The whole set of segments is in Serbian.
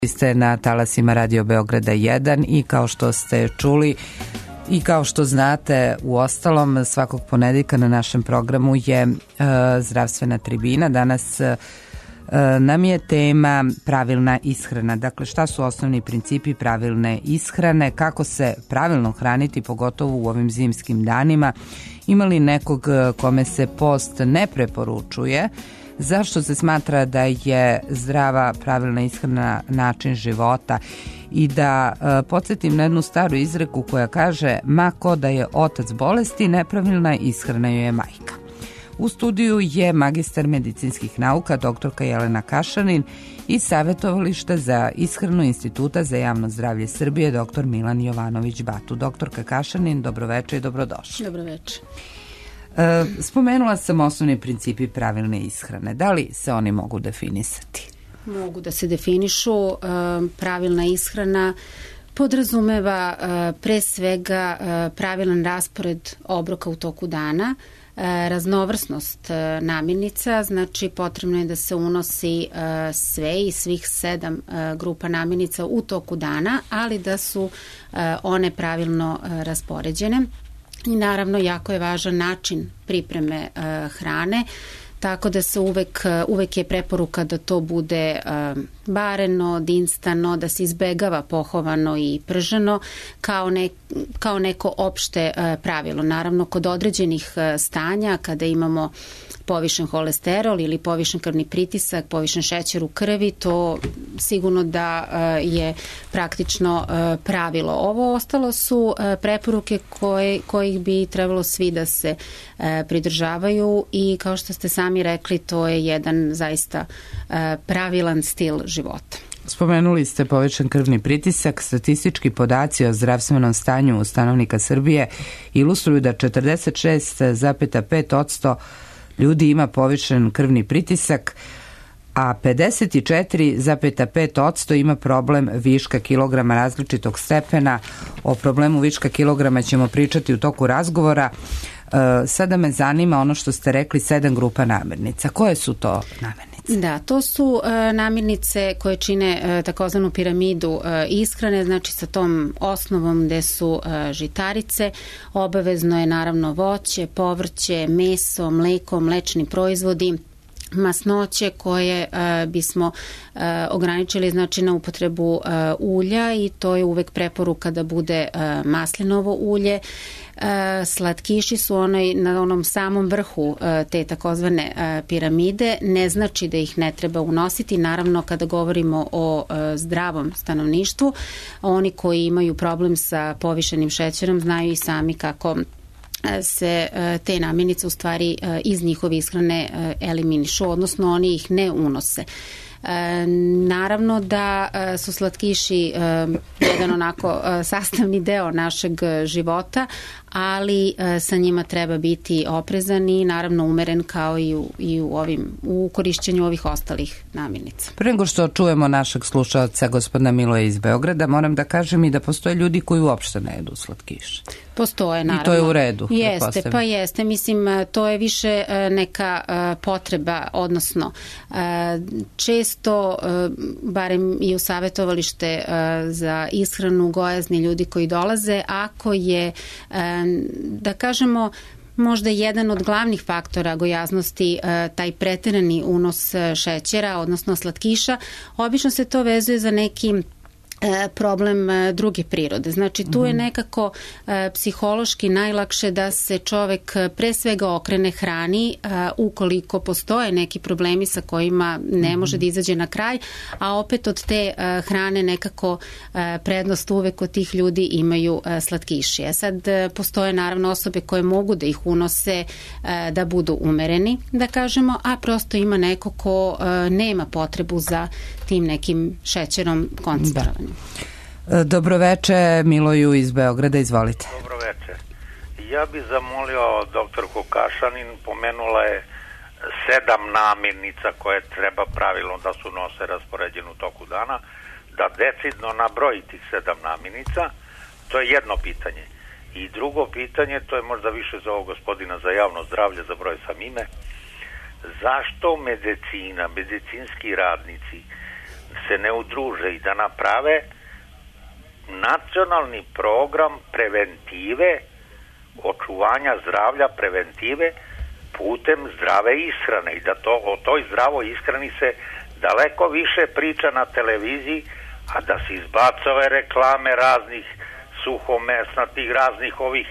Ste na talasima Radio Beograda 1 i kao što ste čuli i kao što znate, u ostalom svakog ponedeljka na našem programu je zdravstvena tribina. Danas nam je tema pravilna ishrana. Dakle, šta su osnovni principi pravilne ishrane, kako se pravilno hraniti, pogotovo u ovim zimskim danima. Ima li nekog kome se post ne preporučuje? Zašto se smatra da je zdrava, pravilna ishrana način života? I da podsjetim na jednu staru izreku koja kaže: ma ko da je otac bolesti, nepravilna ishrana joj je majka. U studiju je magistar medicinskih nauka, doktorka Jelena Kašanin, i savjetovališta za ishranu Instituta za javno zdravlje Srbije, dr. Milan Jovanović-Batu. Doktorka Kašanin, dobroveče i dobrodošli. Dobroveče. Spomenula sam osnovni principi pravilne ishrane. Da li se oni mogu definisati? Mogu da se definišu. Pravilna ishrana podrazumeva pre svega pravilan raspored obroka u toku dana, raznovrsnost namirnica, znači potrebno je da se unosi sve i svih 7 grupa namirnica u toku dana, ali da su one pravilno raspoređene. I naravno, jako je važan način pripreme hrane, tako da se uvek je preporuka da to bude bareno, dinstano, da se izbegava pohovano i prženo kao neko opšte pravilo. Naravno, kod određenih stanja, kada imamo povišen holesterol ili povišen krvni pritisak, povišen šećer u krvi, to sigurno da je praktično pravilo. Ovo ostalo su preporuke kojih bi trebalo svi da se pridržavaju i kao što ste sami rekli, to je jedan zaista pravilan stil života. Spomenuli ste povećan krvni pritisak. Statistički podaci o zdravstvenom stanju stanovnika Srbije ilustruju da 46,5% ljudi ima povišen krvni pritisak, a 54,5% ima problem viška kilograma različitog stepena. O problemu viška kilograma ćemo pričati u toku razgovora. Sada me zanima ono što ste rekli, 7 grupa namirnica. Koje su to namirnice? Da, to su namirnice koje čine takozvanu piramidu ishrane, znači sa tom osnovom gde su žitarice. Obavezno je naravno voće, povrće, meso, mleko, mlečni proizvodi, masnoće koje bismo ograničili znači na upotrebu ulja i to je uvek preporuka da bude maslinovo ulje. Slatkiši su na onom samom vrhu te takozvane piramide, ne znači da ih ne treba unositi. Naravno, kada govorimo o zdravom stanovništvu, oni koji imaju problem sa povišenim šećerom znaju i sami kako se te namirnice u stvari iz njihove ishrane eliminišu, odnosno oni ih ne unose. Naravno da su slatkiši jedan onako sastavni deo našeg života, ali sa njima treba biti oprezan i naravno umeren kao i u korišćenju ovih ostalih namirnica. Pre nego što čujemo našeg slušalca, gospodina Miloja iz Beograda, moram da kažem i da postoje ljudi koji uopšte ne jedu slatkiš. Postoje, naravno. I to je u redu. Jeste, pa jeste. Mislim, to je više neka potreba, odnosno često, barem i u savjetovalište za ishranu, gojazni ljudi koji dolaze, ako je, da kažemo, možda jedan od glavnih faktora gojaznosti taj preterani unos šećera, odnosno slatkiša, obično se to vezuje za neki problem druge prirode. Znači, tu je nekako psihološki najlakše da se čovek pre svega okrene hrani ukoliko postoje neki problemi sa kojima ne može da izađe na kraj, a opet od te hrane nekako prednost uvek kod tih ljudi imaju slatkiši. Sad postoje naravno osobe koje mogu da ih unose da budu umereni, da kažemo, a prosto ima neko ko nema potrebu za tim nekim šećerom koncentrovanim. Dobroveče Miloju iz Beograda, izvolite. Dobroveče. Ja bih zamolio doktorku Kašanin, pomenula je 7 namirnica koje treba pravilno da su nose raspoređene u toku dana, da decidno nabroji tih 7 namirnica. To je jedno pitanje. I drugo pitanje, to je možda više za ovog gospodina za javno zdravlje, za broj sam ime. Zašto medicina, medicinski radnici se ne udruže i da naprave nacionalni program preventive, očuvanja zdravlja, preventive putem zdrave ishrane i da o toj zdravoj ishrani se daleko više priča na televiziji, a da se izbace ove reklame raznih suhomesnatih, raznih ovih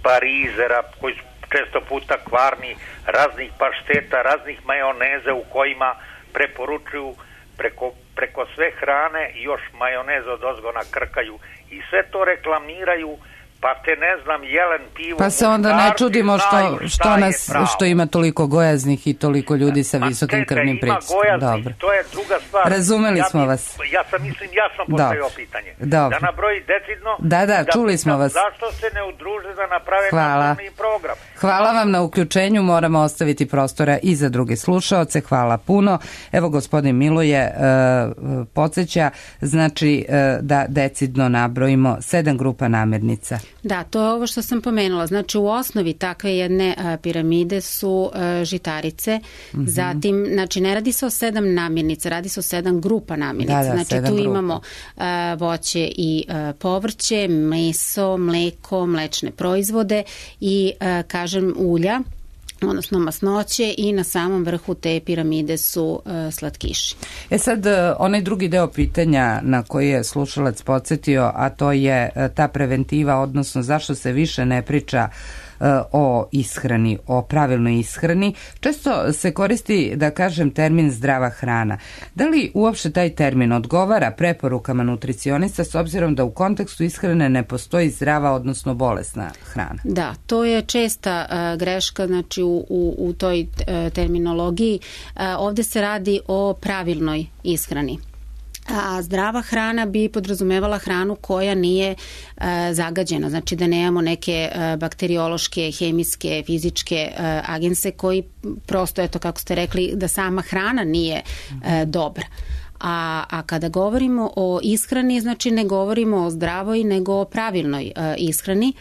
parizera koji su često puta kvarni, raznih pašteta, raznih majoneze u kojima preporučuju preko sve hrane još majoneza od ozgona krkaju i sve to reklamiraju, pa te ne znam, jelen pivo. Pa se onda ne čudimo što ima toliko gojaznih i toliko ljudi sa visokim krvnim pritiskom. Dobro. To je druga stvar. Razumeli smo vas. Ja sam postavio pitanje. Dobro. Da nabroji decidno. Da, čuli smo vas. Zašto se ne udruže da naprave nacionalni program? Hvala vam na uključenju, moramo ostaviti prostora i za druge slušaoce. Hvala puno. Evo, gospodin Miloje podsjeća, znači da decidno nabrojimo 7 grupa namirnica. Da, to je ovo što sam pomenula. Znači, u osnovi takve jedne piramide su žitarice. Zatim, znači, ne radi se o 7 namirnica, radi se o 7 grupa namirnica. Znači, tu imamo voće i povrće, meso, mleko, mlečne proizvode i, kažem, ulja, odnosno masnoće, i na samom vrhu te piramide su slatkiši. Sad, onaj drugi deo pitanja na koji je slušalac podsjetio, a to je ta preventiva, odnosno zašto se više ne priča o ishrani, o pravilnoj ishrani. Često se koristi, da kažem, termin zdrava hrana. Da li uopšte taj termin odgovara preporukama nutricionista s obzirom da u kontekstu ishrane ne postoji zdrava, odnosno bolesna hrana? Da, to je česta greška, znači u toj terminologiji. Ovde se radi o pravilnoj ishrani. A zdrava hrana bi podrazumevala hranu koja nije zagađena, znači da nemamo neke bakteriološke, hemijske, fizičke agense koji prosto, eto kako ste rekli, da sama hrana nije dobra. A kada govorimo o ishrani, znači ne govorimo o zdravoj, nego o pravilnoj ishrani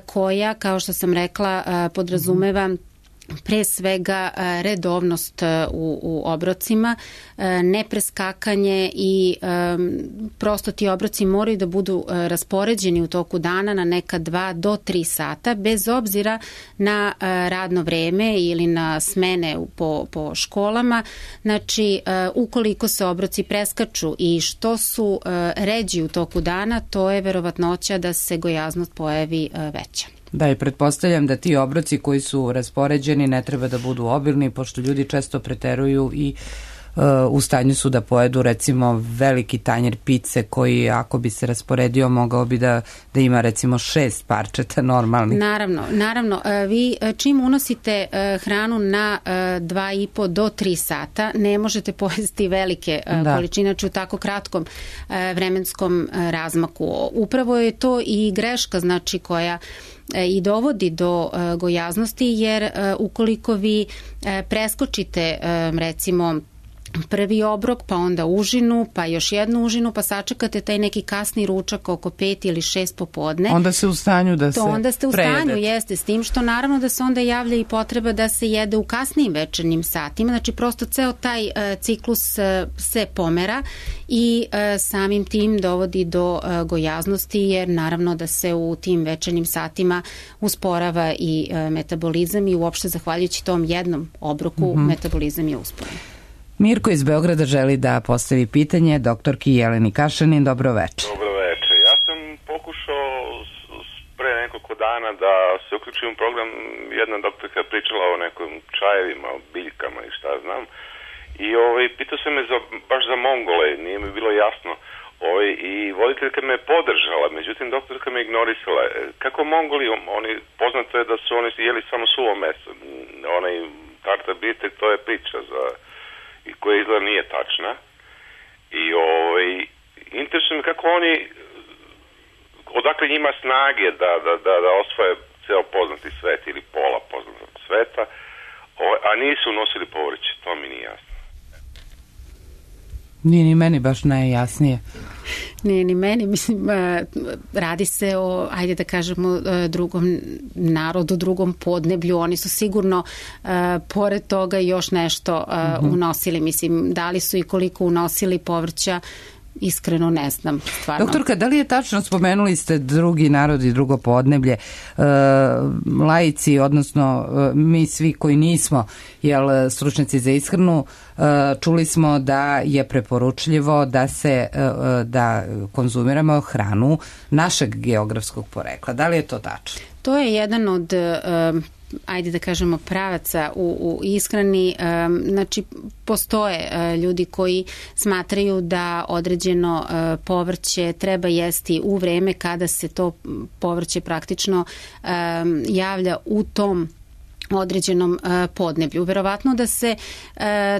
koja, kao što sam rekla, podrazumeva pre svega redovnost u obrocima, nepreskakanje i prosto ti obroci moraju da budu raspoređeni u toku dana na neka 2 do 3 sata, bez obzira na radno vreme ili na smene po školama. Znači, ukoliko se obroci preskaču i što su ređi u toku dana, to je verovatnoća da se gojaznost pojavi veća. Da, i pretpostavljam da ti obroci koji su raspoređeni ne treba da budu obilni, pošto ljudi često preteruju i u stanju su da pojedu recimo veliki tanjer pice koji, ako bi se rasporedio, mogao bi da ima recimo 6 parčeta normalnih. Naravno. Vi čim unosite hranu na 2,5 do 3 sata, ne možete pojesti velike količine, znači u tako kratkom vremenskom razmaku. Upravo je to i greška, znači, koja i dovodi do gojaznosti, jer ukoliko vi preskočite recimo prvi obrok, pa onda užinu, pa još jednu užinu, pa sačekate taj neki kasni ručak oko 5 ili 6 popodne. Onda ste u stanju da se prejedete. Onda ste u stanju, jeste, s tim što naravno da se onda javlja i potreba da se jede u kasnijim večernjim satima. Znači prosto ceo taj ciklus se pomera i samim tim dovodi do gojaznosti, jer naravno da se u tim večernjim satima usporava i metabolizam i uopšte zahvaljujući tom jednom obroku metabolizam je usporen. Mirko iz Beograda želi da postavi pitanje doktorki Jeleni Kašanin. Dobro večer. Dobro večer. Ja sam pokušao pre nekoliko dana da se uključim u program. Jedna doktorka je pričala o nekim čajevima, o biljkama i šta znam. I pitao sam me baš za Mongole, nije mi bilo jasno. I voditeljka me je podržala, međutim doktorka me ignorisala. Kako Mongoli, poznato je da su oni jeli samo suvo meso. Onaj tartar bitek, to je priča i koja izgleda nije tačna. I interesuje me kako oni, odakle njima snage da osvoje ceo poznati svet ili pola poznatog sveta, a nisu nosili povrće, to mi nije jasno. Nije ni meni baš najjasnije. Nije ni meni, mislim, radi se o, ajde da kažemo, drugom narodu, drugom podneblju. Oni su sigurno pored toga još nešto unosili. Mislim, da li su i koliko unosili povrća, iskreno ne znam, stvarno. Doktorka, da li je tačno, spomenuli ste drugi narod i drugo podneblje, laici, odnosno mi svi koji nismo stručnjaci za ishranu, čuli smo da je preporučljivo da konzumiramo hranu našeg geografskog porekla. Da li je to tačno? To je jedan od ajde da kažemo pravaca u ishrani. Znači, postoje ljudi koji smatraju da određeno povrće treba jesti u vreme kada se to povrće praktično javlja u tom određenom podneblju. Verovatno da se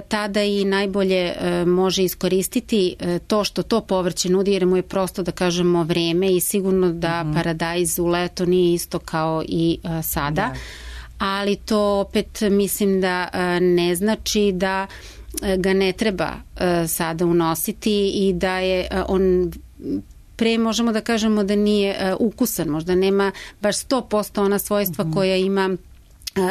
tada i najbolje može iskoristiti to što to povrće nudi, jer mu je prosto, da kažemo, vreme i sigurno da paradajz u leto nije isto kao i sada. Da. Ali to opet mislim da ne znači da ga ne treba sada unositi i da je on pre možemo da kažemo da nije ukusan, možda nema baš 100% ona svojstva koja ima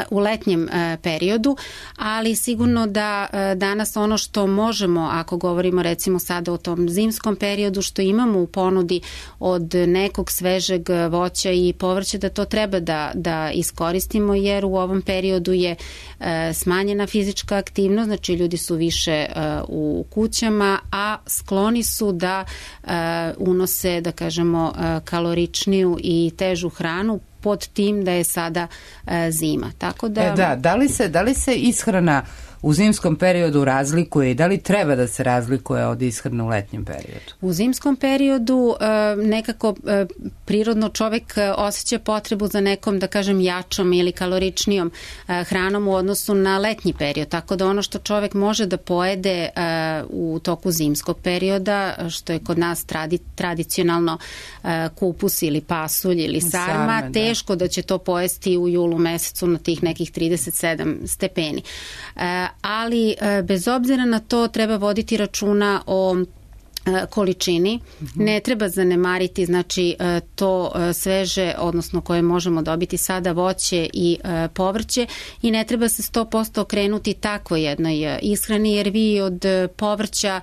u letnjem periodu, ali sigurno da danas ono što možemo, ako govorimo recimo sada o tom zimskom periodu, što imamo u ponudi od nekog svežeg voća i povrća, da to treba da iskoristimo, jer u ovom periodu je smanjena fizička aktivnost, znači ljudi su više u kućama, a skloni su da unose, da kažemo, kaloričniju i težu hranu pod tim da je sada zima. Tako da... Da li se ishrana u zimskom periodu razlikuje i da li treba da se razlikuje od ishrane u letnjem periodu? U zimskom periodu nekako prirodno čovek osjeća potrebu za nekom, da kažem, jačom ili kaloričnijom hranom u odnosu na letnji period. Tako da ono što čovek može da pojede u toku zimskog perioda, što je kod nas tradicionalno kupus ili pasulj ili sarma, teško da će to pojesti u julu mesecu na tih nekih 37 stepeni. Ali bez obzira na to treba voditi računa o količini. Ne treba zanemariti, znači, to sveže, odnosno koje možemo dobiti sada, voće i povrće, i ne treba se 100% okrenuti takvo jednoj ishrani, jer vi od povrća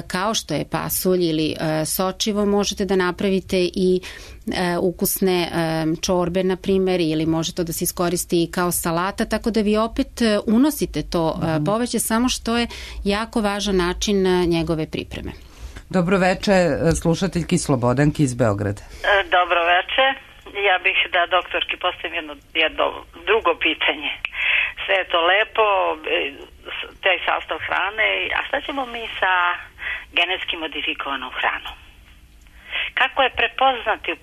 kao što je pasulj ili sočivo možete da napravite i ukusne čorbe, na primjer, ili može to da se iskoristi kao salata, tako da vi opet unosite to povrće, samo što je jako važan način njegove pripreme. Dobro veče, slušateljki Slobodanki iz Beograda. Dobro veče. Ja bih da doktorki postavim jedno drugo pitanje. Sve je to lepo, taj sastav hrane, a šta ćemo mi sa genetski modifikovanom hranom? Kako je prepoznati u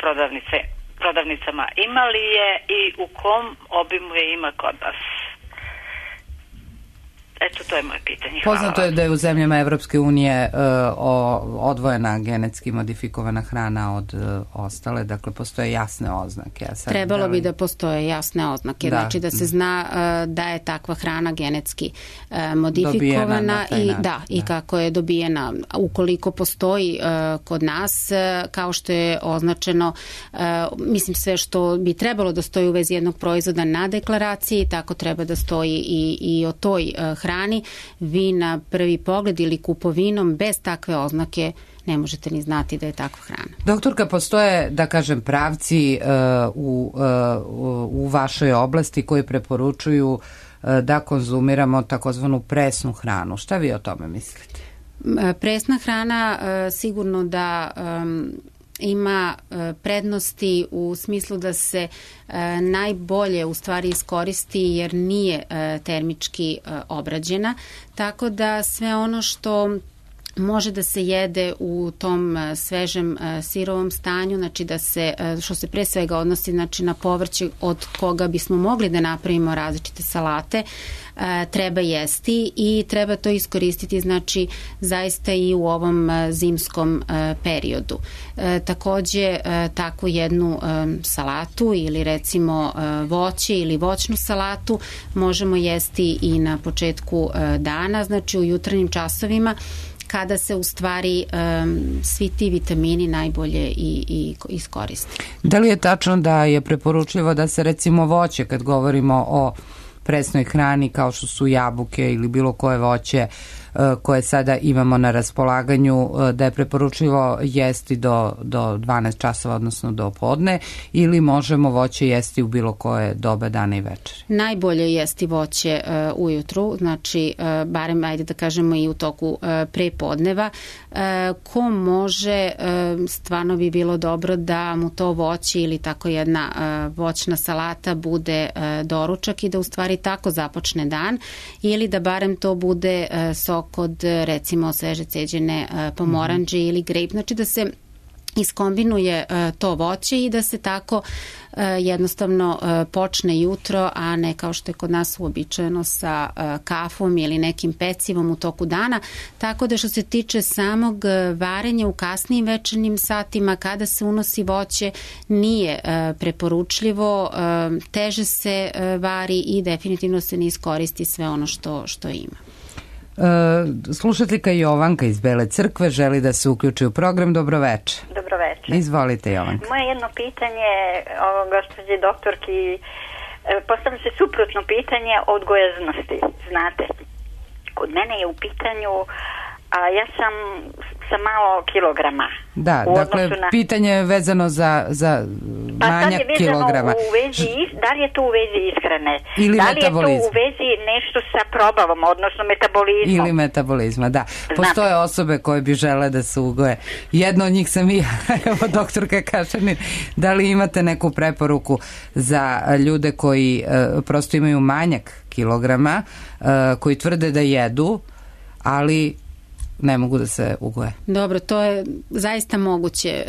prodavnicama? Ima li je i u kom obimu je ima kod vas? Eto, to je moje pitanje. Poznato je da je u zemljama Evropske unije odvojena genetski modifikovana hrana od ostale, dakle postoje jasne oznake. Trebalo bi da postoje jasne oznake, znači da se zna da je takva hrana genetski modifikovana i kako je dobijena. Ukoliko postoji kod nas, kao što je označeno, mislim, sve što bi trebalo da stoji u vezi jednog proizvoda na deklaraciji, tako treba da stoji i o toj hrani. Vi na prvi pogled ili kupovinom bez takve oznake ne možete ni znati da je takva hrana. Doktorka, postoje, da kažem, pravci u vašoj oblasti koji preporučuju da konzumiramo takozvanu presnu hranu. Šta vi o tome mislite? Presna hrana sigurno da ima prednosti u smislu da se najbolje u stvari iskoristi, jer nije termički obrađena, tako da sve ono što može da se jede u tom svežem sirovom stanju, znači da se, što se pre svega odnosi, znači, na povrće od koga bismo mogli da napravimo različite salate, treba jesti i treba to iskoristiti, znači, zaista i u ovom zimskom periodu. Takođe, takvu jednu salatu ili recimo voće ili voćnu salatu možemo jesti i na početku dana, znači u jutarnjim časovima, kada se u stvari svi ti vitamini najbolje i iskoriste. Da li je tačno da je preporučljivo da se recimo voće, kad govorimo o presnoj hrani kao što su jabuke ili bilo koje voće koje sada imamo na raspolaganju, da je preporučljivo jesti do 12 časova, odnosno do podne, ili možemo voće jesti u bilo koje doba dana i večeri? Najbolje je jesti voće ujutru, znači barem ajde da kažemo i u toku prepodneva. Ko može, stvarno bi bilo dobro da mu to voće ili tako jedna voćna salata bude doručak i da u stvari tako započne dan, ili da barem to bude sok od recimo sveže ceđene pomoranđe ili grejp, znači da se iskombinuje to voće i da se tako jednostavno počne jutro, a ne kao što je kod nas uobičajeno sa kafom ili nekim pecivom u toku dana. Tako da što se tiče samog varenja u kasnijim večernjim satima kada se unosi voće nije preporučljivo, teže se vari i definitivno se ne iskoristi sve ono što ima. Slušateljka Jovanka iz Bele Crkve želi da se uključi u program. Dobroveče. Dobroveče. Izvolite, Jovanka. Moje jedno pitanje gospođi doktorki, postavlja se suprotno pitanje od gojaznosti. Znate, kod mene je u pitanju, a ja sam sa malo kilograma. Da, dakle, pitanje je vezano za manjak kilograma. Da li je to u vezi ishrane? Ili da li metabolizma? Je to u vezi nešto sa probavom, odnosno metabolizmom? Ili metabolizma, da. Postoje osobe koje bi žele da se ugoje. Jedna od njih sam i ja, evo doktorka Kašanin. Da li imate neku preporuku za ljude koji prosto imaju manjak kilograma, koji tvrde da jedu, ali ne mogu da se ugoje? Dobro, to je zaista moguće.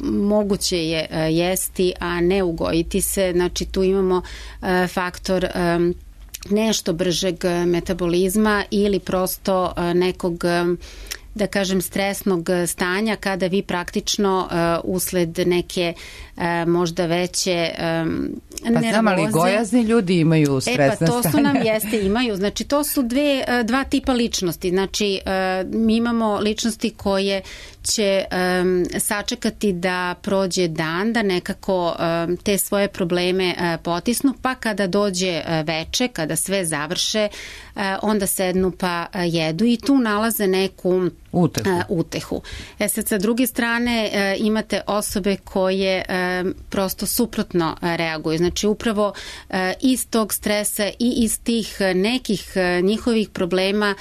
Moguće je jesti, a ne ugojiti se. Znači tu imamo faktor nešto bržeg metabolizma ili prosto nekog, da kažem, stresnog stanja kada vi praktično usled neke možda veće nervoze. Pa znam, ali gojazni ljudi imaju stresna stanja. To su nam imaju. Znači to su dva tipa ličnosti. Znači mi imamo ličnosti koje će sačekati da prođe dan, da nekako te svoje probleme potisnu, pa kada dođe veče, kada sve završe, onda sednu pa jedu i tu nalaze neku utehu. Sad, sa druge strane imate osobe koje prosto suprotno reaguju. Znači upravo iz tog stresa i iz tih nekih njihovih problema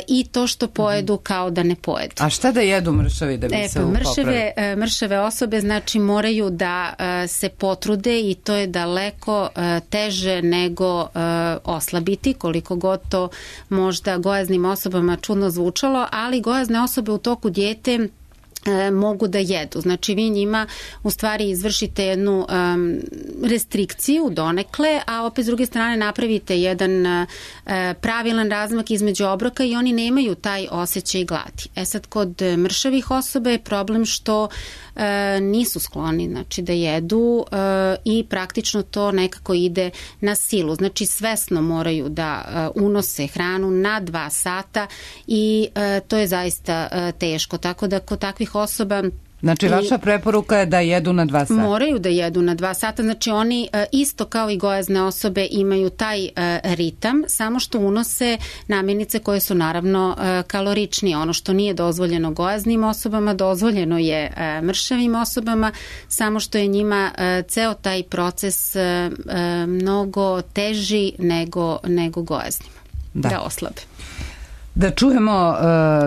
i to što pojedu kao da ne pojedu. A šta da jedu mršavi da bi se popravili? Mršave osobe znači moraju da se potrude i to je daleko teže nego oslabiti, koliko god to možda gojaznim osobama čudno zvučalo, ali gojazne osobe u toku dijete mogu da jedu. Znači vi njima u stvari izvršite jednu restrikciju donekle, a opet s druge strane napravite jedan pravilan razmak između obroka i oni nemaju taj osjećaj gladi. Sad kod mršavih osoba je problem što nisu skloni znači da jedu i praktično to nekako ide na silu. Znači svesno moraju da unose hranu na 2 sata i to je zaista teško. Tako da kod takvih osoba Znači, vaša preporuka je da jedu na 2 sata? Moraju da jedu na 2 sata, znači oni isto kao i gojazne osobe imaju taj ritam, samo što unose namirnice koje su naravno kaloričnije. Ono što nije dozvoljeno gojaznim osobama, dozvoljeno je mršavim osobama, samo što je njima ceo taj proces mnogo teži nego gojaznima, da oslabe. Da čujemo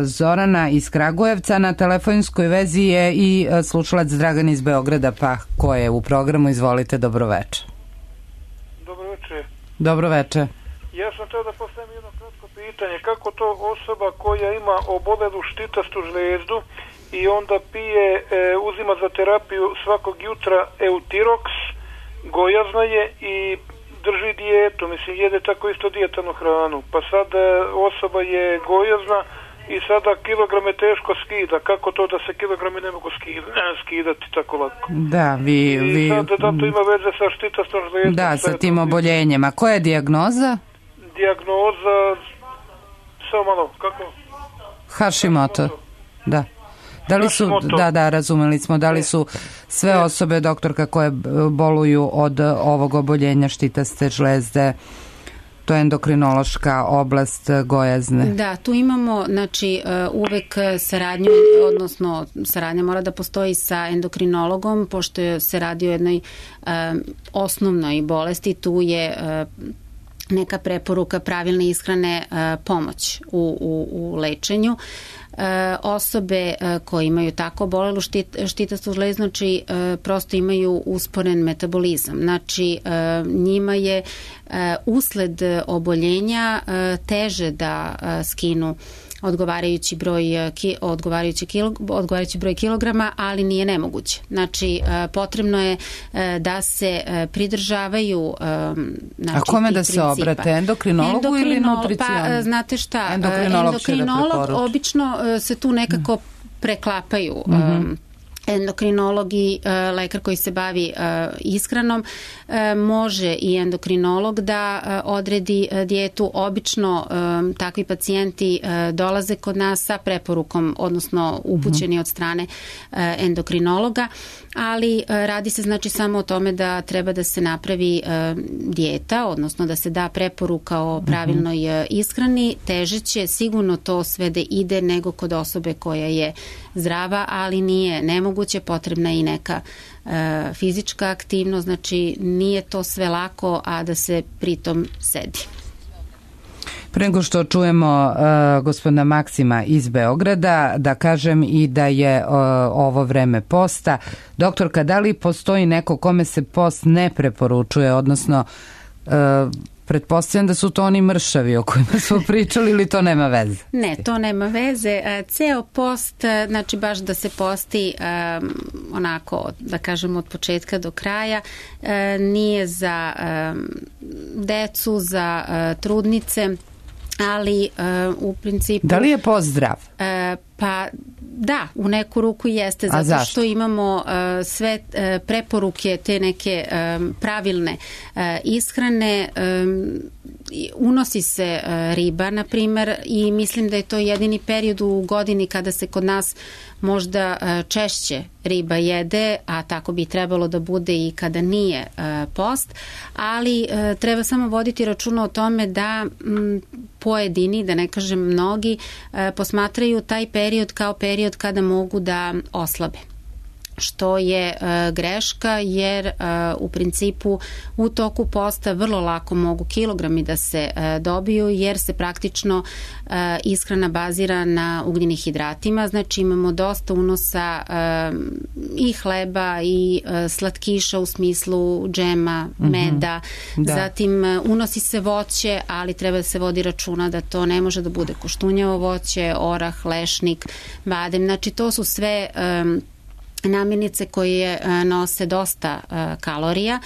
Zorana iz Kragujevca, na telefonskoj vezi je i slušalac Dragan iz Beograda, pa ko je u programu, izvolite, dobroveče. Dobroveče. Dobroveče. Ja sam htio da postavim jedno kratko pitanje, kako to osoba koja ima obolelu štitastu žlezdu i onda pije, uzima za terapiju svakog jutra Eutirox, gojazna je i drži dijetu, mislim, jede tako isto dijetanu hranu, pa sad osoba je gojazna i sada kilograme teško skida, kako to da se kilograme ne mogu skidati tako lako? Da, I sad da to ima veze sa štitastom žlezdom. Da, sa tim oboljenjem. A koja je dijagnoza? Dijagnoza, samo malo, kako? Hashimoto. Da. Da li su, da, razumeli smo, da li su sve osobe, doktorka, koje boluju od ovog oboljenja štitaste žlezde, to je endokrinološka oblast, gojazne? Da, tu imamo, znači, uvek saradnju, odnosno saradnja mora da postoji sa endokrinologom, pošto se radi o jednoj osnovnoj bolesti, tu je neka preporuka pravilne ishrane pomoć u lečenju. Osobe koje imaju tako bolelu štitastu žlezdu, znači prosto imaju usporen metabolizam. Znači njima je usled oboljenja teže da skinu odgovarajući broj kilograma, ali nije nemoguće. Znači, potrebno je da se pridržavaju a kome da se obrate? Endokrinologu ili nutricijonu? Pa, znate šta, endokrinolog obično se tu nekako preklapaju. Endokrinolog i lekar koji se bavi ishranom, može i endokrinolog da odredi dijetu. Obično takvi pacijenti dolaze kod nas sa preporukom, odnosno upućeni od strane endokrinologa, ali radi se znači samo o tome da treba da se napravi dijeta, odnosno da se da preporuka o pravilnoj ishrani. Teže će sigurno to sve da ide nego kod osobe koja je zdrava, ali nije nemoguće, potrebna je i neka fizička aktivnost, znači nije to sve lako, a da se pritom sedi. Pre nego što čujemo gospodina Maksima iz Beograda, da kažem i da je ovo vreme posta. Doktorka, da li postoji neko kome se post ne preporučuje, odnosno pretpostavljam da su to oni mršavi o kojima smo pričali, ili to nema veze? Ne, to nema veze. Ceo post, znači baš da se posti onako, da kažemo, od početka do kraja, nije za decu, za trudnice, ali u principu... Da li je post zdrav? Pa da, u neku ruku jeste, zato što imamo sve preporuke, te neke pravilne ishrane. Unosi se riba, na primer, i mislim da je to jedini period u godini kada se kod nas možda češće riba jede, a tako bi trebalo da bude i kada nije post, ali treba samo voditi računa o tome da pojedini, da ne kažem mnogi, posmatraju taj period kao period kada mogu da oslabe, što je greška, jer u principu u toku posta vrlo lako mogu kilogrami da se dobiju, jer se praktično ishrana bazira na ugljenim hidratima, znači imamo dosta unosa i hleba i slatkiša u smislu džema, meda, zatim unosi se voće, ali treba da se vodi računa da to ne može da bude koštunjavo voće, orah, lešnik, badem, znači to su sve namirnice koje nose dosta kalorija,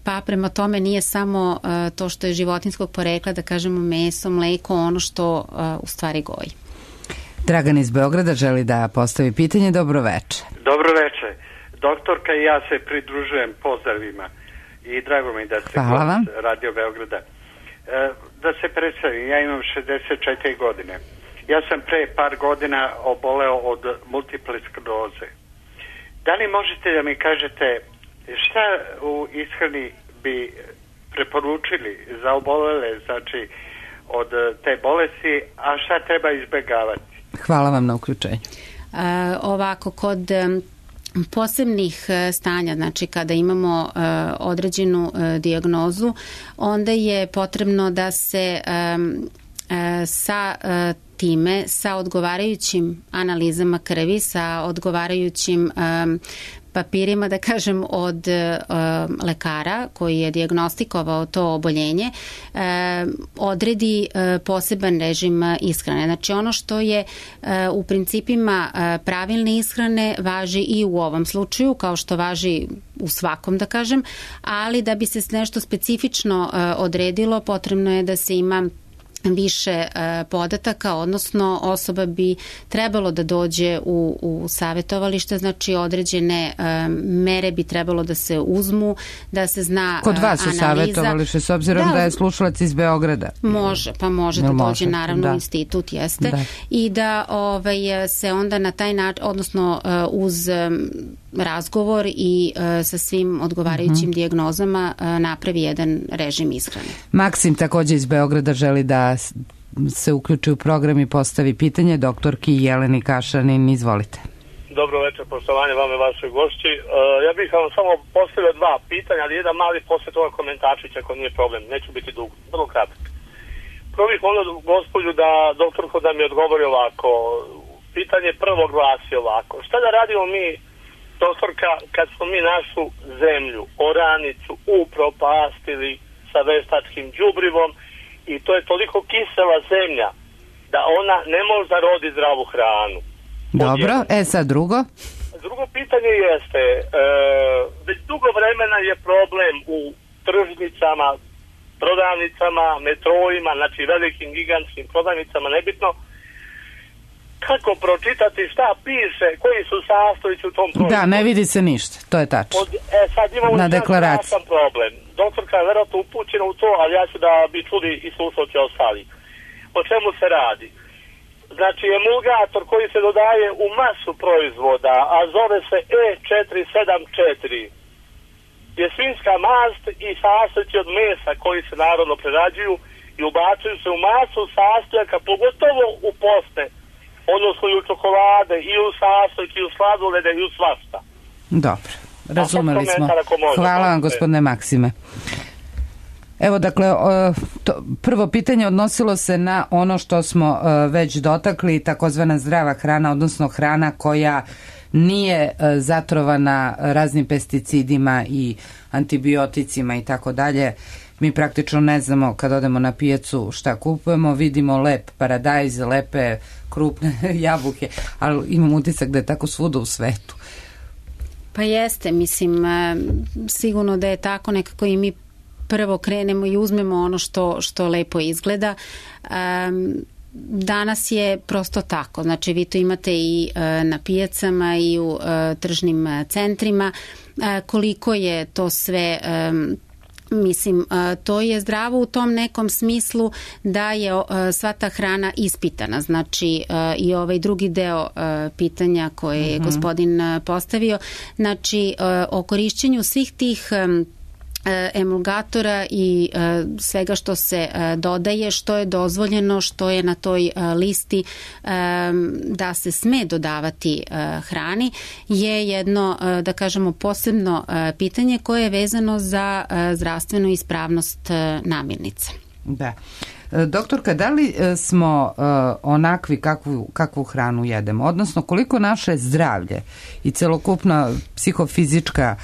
pa prema tome nije samo to što je životinjskog porekla, da kažemo meso, mleko, ono što u stvari goji. Dragan iz Beograda želi da postavi pitanje. Dobro veče. Dobro veče. Doktorka i ja se pridružujem pozdravima i drago mi da ste kod Radio Beograda. Da se predstavim, ja imam 64 godine. Ja sam pre par godina oboleo od multiple skleroze. Da li možete da mi kažete šta u ishrani bi preporučili za obolele, znači od te bolesti, a šta treba izbjegavati? Hvala vam na uključenju. Ovako, kod posebnih stanja, znači kada imamo određenu dijagnozu, onda je potrebno da se sa time, sa odgovarajućim analizama krvi, sa odgovarajućim papirima, da kažem, od lekara koji je dijagnostikovao to oboljenje, odredi poseban režim ishrane. Znači ono što je u principima pravilne ishrane važi i u ovom slučaju, kao što važi u svakom, da kažem, ali da bi se nešto specifično odredilo, potrebno je da se ima više podataka, odnosno osoba bi trebalo da dođe u savjetovalište, znači određene mere bi trebalo da se uzmu, da se zna analiza. Kod vas u savjetovalište, s obzirom da je slušalac iz Beograda? Može da dođe naravno u institut, jeste, i da se onda na taj način, odnosno uz razgovor i sa svim odgovarajućim dijagnozama napravi jedan režim ishrane. Maksim takođe iz Beograda želi da se uključi u program i postavi pitanje doktorki Jeleni Kašanin. Izvolite. Dobro večer, poštovanje vama i vašoj gošći. Ja bih vam samo postavio dva pitanja, ali jedan mali posle toga komentarčić, ako nije problem. Neću biti dug, vrlo kratak. Prvo bih molio gospođu da doktorko da mi odgovori ovako. Pitanje prvo glasi ovako. Šta da radimo mi, doktorka, kad smo mi našu zemlju, oranicu, upropastili sa veštačkim đubrivom i to je toliko kisela zemlja da ona ne može da rodi zdravu hranu. Dobro, sad drugo. Drugo pitanje jeste, već dugo vremena je problem u tržnicama, prodavnicama, metrojima, znači velikim, gigantskim prodavnicama, nebitno, kako pročitati šta piše, koji su sastojci u tom proizvodu. Da, ne vidi se ništa, to je tačno. Sad imamo na deklaraciji problem. Doktorka je verovatno upućena u to, ali ja ću da bi čuli i slušalci ostali. O čemu se radi? Znači, emulgator koji se dodaje u masu proizvoda, a zove se E474, je svinjska mast i sastojci od mesa koji se narodno prerađuju i ubacuju se u masu sastojaka, pogotovo u poste, odnosno i u čokolade, i u sastojke, i u sladolede, i u svašta. Dobro, razumeli smo. Hvala vam, gospodine Maksime. Evo, dakle, prvo pitanje odnosilo se na ono što smo već dotakli, takozvana zdrava hrana, odnosno hrana koja nije zatrovana raznim pesticidima i antibioticima i tako dalje. Mi praktično ne znamo kad odemo na pijacu šta kupujemo, vidimo lep paradajz, lepe krupne jabuke, ali imam utisak da je tako svuda u svetu. Pa jeste, mislim, sigurno da je tako, nekako i mi prvo krenemo i uzmemo ono što lepo izgleda. Danas je prosto tako, znači vi to imate i na pijacama i u tržnim centrima, koliko je to sve, mislim, to je zdravo u tom nekom smislu da je sva ta hrana ispitana, znači i ovaj drugi deo pitanja koje je gospodin postavio, znači o korišćenju svih tih emulgatora i svega što se dodaje, što je dozvoljeno, što je na toj listi da se sme dodavati hrani, je jedno, da kažemo, posebno pitanje koje je vezano za zdravstvenu ispravnost namirnica. Da. Doktorka, da li smo onakvi kakvu hranu jedemo? Odnosno, koliko naše zdravlje i celokupna psihofizička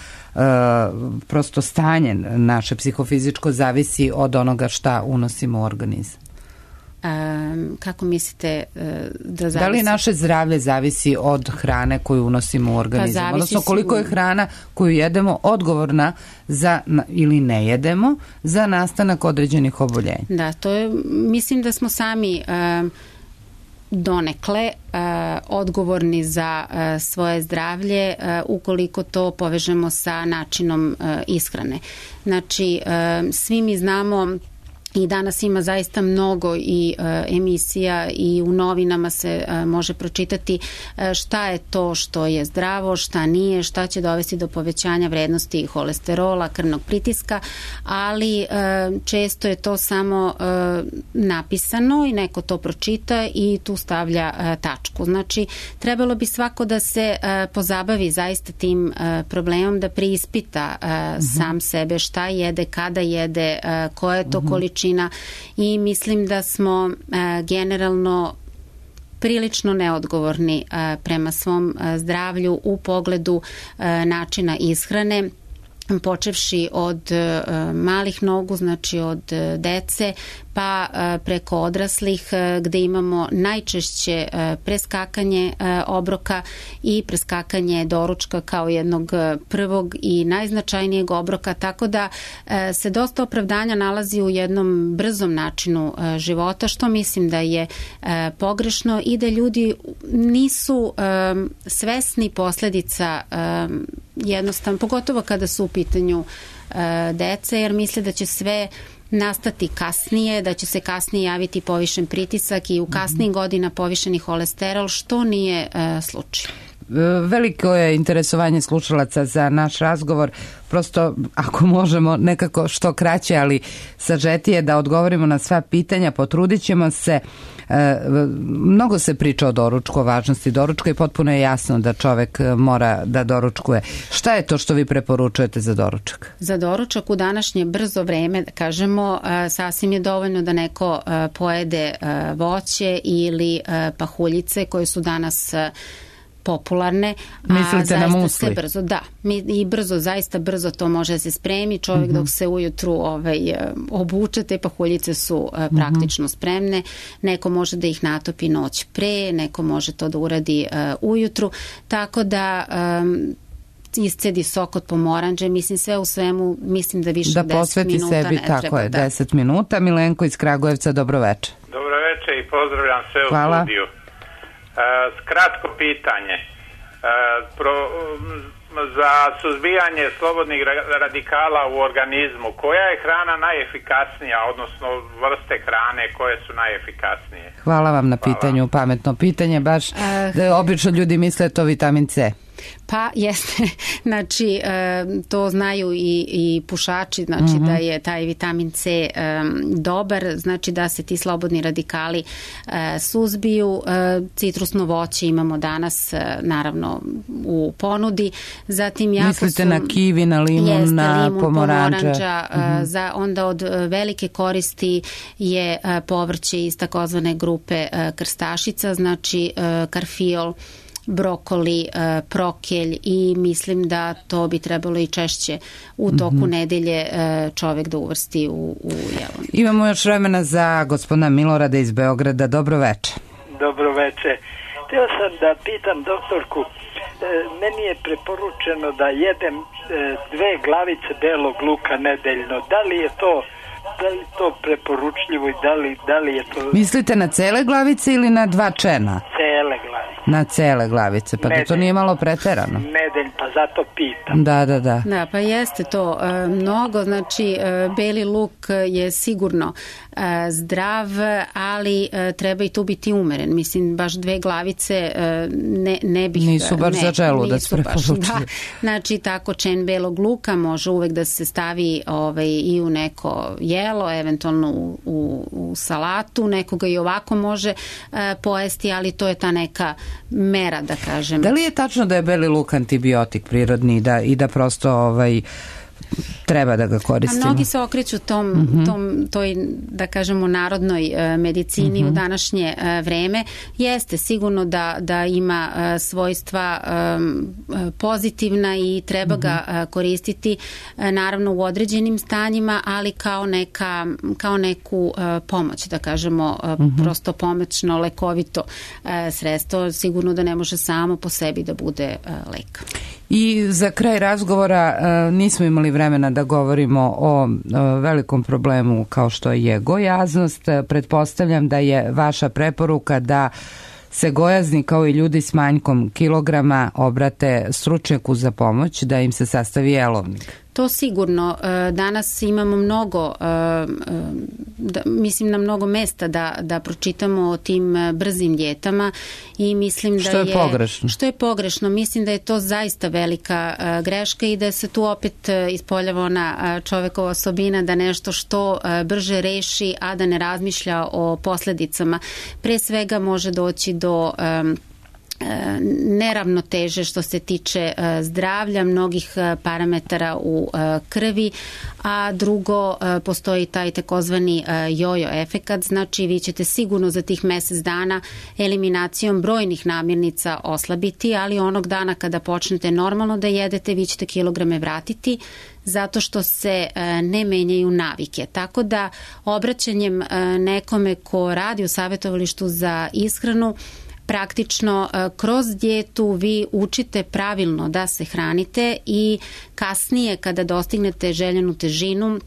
prosto stanje naše psihofizičko zavisi od onoga šta unosimo u organizam? Kako mislite da zavisi? Da li naše zdravlje zavisi od hrane koju unosimo u organizam? Odnosno, koliko je hrana koju jedemo odgovorna za, ili ne jedemo, za nastanak određenih oboljenja? Da, to je, mislim da smo sami donekle odgovorni za svoje zdravlje ukoliko to povežemo sa načinom ishrane. Znači, svi mi znamo i danas ima zaista mnogo i emisija i u novinama se može pročitati šta je to što je zdravo, šta nije, šta će dovesti do povećanja vrednosti holesterola, krvnog pritiska, ali često je to samo napisano i neko to pročita i tu stavlja tačku. Znači, trebalo bi svako da se pozabavi zaista tim problemom, da preispita sam sebe, šta jede, kada jede, koja je to količina, i mislim da smo generalno prilično neodgovorni prema svom zdravlju u pogledu načina ishrane, počevši od malih nogu, znači od dece, pa preko odraslih gde imamo najčešće preskakanje obroka i preskakanje doručka kao jednog prvog i najznačajnijeg obroka, tako da se dosta opravdanja nalazi u jednom brzom načinu života, što mislim da je pogrešno i da ljudi nisu svesni posledica jednostavno, pogotovo kada su u pitanju dece, jer misle da će sve nastati kasnije, da će se kasnije javiti povišen pritisak i u kasnijih godina povišeni holesterol, što nije slučaj. Veliko je interesovanje slušalaca za naš razgovor, prosto ako možemo nekako što kraće, ali sažetije da odgovorimo na sva pitanja, potrudit ćemo se. Mnogo se priča o doručku, o važnosti doručka i potpuno je jasno da čovek mora da doručkuje. Šta je to što vi preporučujete za doručak? Za doručak u današnje brzo vreme, da kažemo, sasvim je dovoljno da neko pojede voće ili pahuljice koje su danas popularne. Mislite na musli? Brzo, da. I brzo, zaista brzo to može da se spremi. Čovjek dok se ujutru obuče, te pahuljice su praktično spremne. Neko može da ih natopi noć pre, neko može to da uradi ujutru. Tako da iscedi sok od pomoranđe, mislim sve u svemu, mislim da više 10 minuta ne treba. Da posveti sebi, tako je, 10 minuta. Milenko iz Kragujevca, dobro-veče. Dobro-veče i pozdravljam sve u studiju. Kratko pitanje. Za suzbijanje slobodnih radikala u organizmu, koja je hrana najefikasnija, odnosno vrste hrane koje su najefikasnije? Hvala vam na pitanju, pametno pitanje, baš obično ljudi misle to vitamin C. Pa jeste, znači to znaju i pušači, znači da je taj vitamin C dobar, znači da se ti slobodni radikali suzbiju. Citrusno voće imamo danas naravno u ponudi. Zatim mislite na kivi, na limun, na pomoranđa. Onda od velike koristi je povrće iz takozvane grupe krstašica, znači karfiol, brokoli, prokelj i mislim da to bi trebalo i češće u toku nedelje čovjek da uvrsti u jelo. Imamo još vremena za gospodina Milorada iz Beograda. Dobroveče. Dobroveče. Htio sam da pitam doktorku, meni je preporučeno da jedem 2 glavice belog luka nedeljno. Da li je to preporučljivo i da li je to... Mislite na cele glavice ili na 2 čena? Cele glavice. Na cele glavice, pa to nije malo preterano. Nedelj, pa zato pitam. Da. Da, pa jeste to mnogo, znači beli luk je sigurno zdrav, ali treba i tu biti umeren. Mislim, baš 2 glavice ne bih... Nisu baš za želudac preporučili. Da, znači tako čen belog luka može uvek da se stavi i u neko jelo, eventualno u salatu, nekoga i ovako može pojesti, ali to je ta neka mera, da kažem. Da li je tačno da je beli luk antibiotik prirodni i da prosto treba da ga koristimo? Mnogi se okreću toj, da kažemo, narodnoj medicini u današnje vreme. Jeste sigurno da ima svojstva pozitivna i treba ga koristiti naravno u određenim stanjima, ali kao neku pomoć, da kažemo, prosto pomoćno, lekovito sredstvo. Sigurno da ne može samo po sebi da bude lek. I za kraj razgovora nismo imali vremena da govorimo o velikom problemu kao što je gojaznost. Pretpostavljam da je vaša preporuka da se gojazni kao i ljudi s manjkom kilograma obrate stručnjaku za pomoć, da im se sastavi jelovnik. To sigurno. Danas imamo mnogo, mislim na mnogo mesta da pročitamo o tim brzim dijetama i mislim da je... Što je pogrešno? Što je pogrešno. Mislim da je to zaista velika greška i da se tu opet ispoljava ona čovekova osobina da nešto što brže reši, a da ne razmišlja o posledicama. Pre svega može doći do neravnoteže što se tiče zdravlja, mnogih parametara u krvi, a drugo postoji taj takozvani jojo efekat, znači vi ćete sigurno za tih mesec dana eliminacijom brojnih namirnica oslabiti, ali onog dana kada počnete normalno da jedete, vi ćete kilograme vratiti zato što se ne menjaju navike. Tako da obraćanjem nekome ko radi u savjetovalištu za ishranu, praktično kroz dijetu vi učite pravilno da se hranite i kasnije kada dostignete željenu težinu,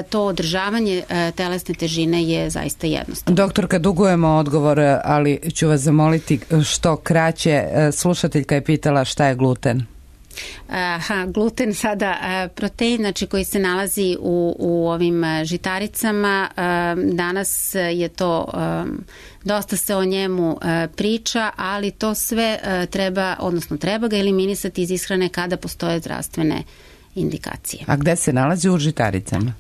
to održavanje telesne težine je zaista jednostavno. Doktorka, dugujemo odgovor, ali ću vas zamoliti što kraće. Slušateljka je pitala šta je gluten. Gluten sada protein, znači koji se nalazi u ovim žitaricama, danas je to dosta se o njemu priča, ali to sve treba ga eliminisati iz ishrane kada postoje zdravstvene indikacije. A gde se nalazi u žitaricama?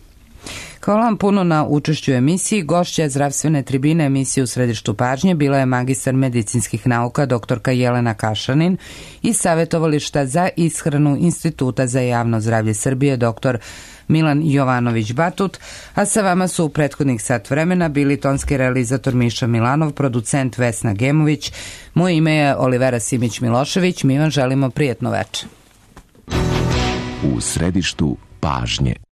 Hvala vam puno na učešću u emisiji. Gošća zdravstvene tribine emisije U središtu pažnje bila je magistar medicinskih nauka doktorka Jelena Kašanin i savjetovališta za ishranu Instituta za javno zdravlje Srbije doktor Milan Jovanović-Batut, a sa vama su u prethodnih sat vremena bili tonski realizator Miša Milanov, producent Vesna Gemović. Moje ime je Olivera Simić-Milošević. Mi vam želimo prijatno veče. U središtu pažnje.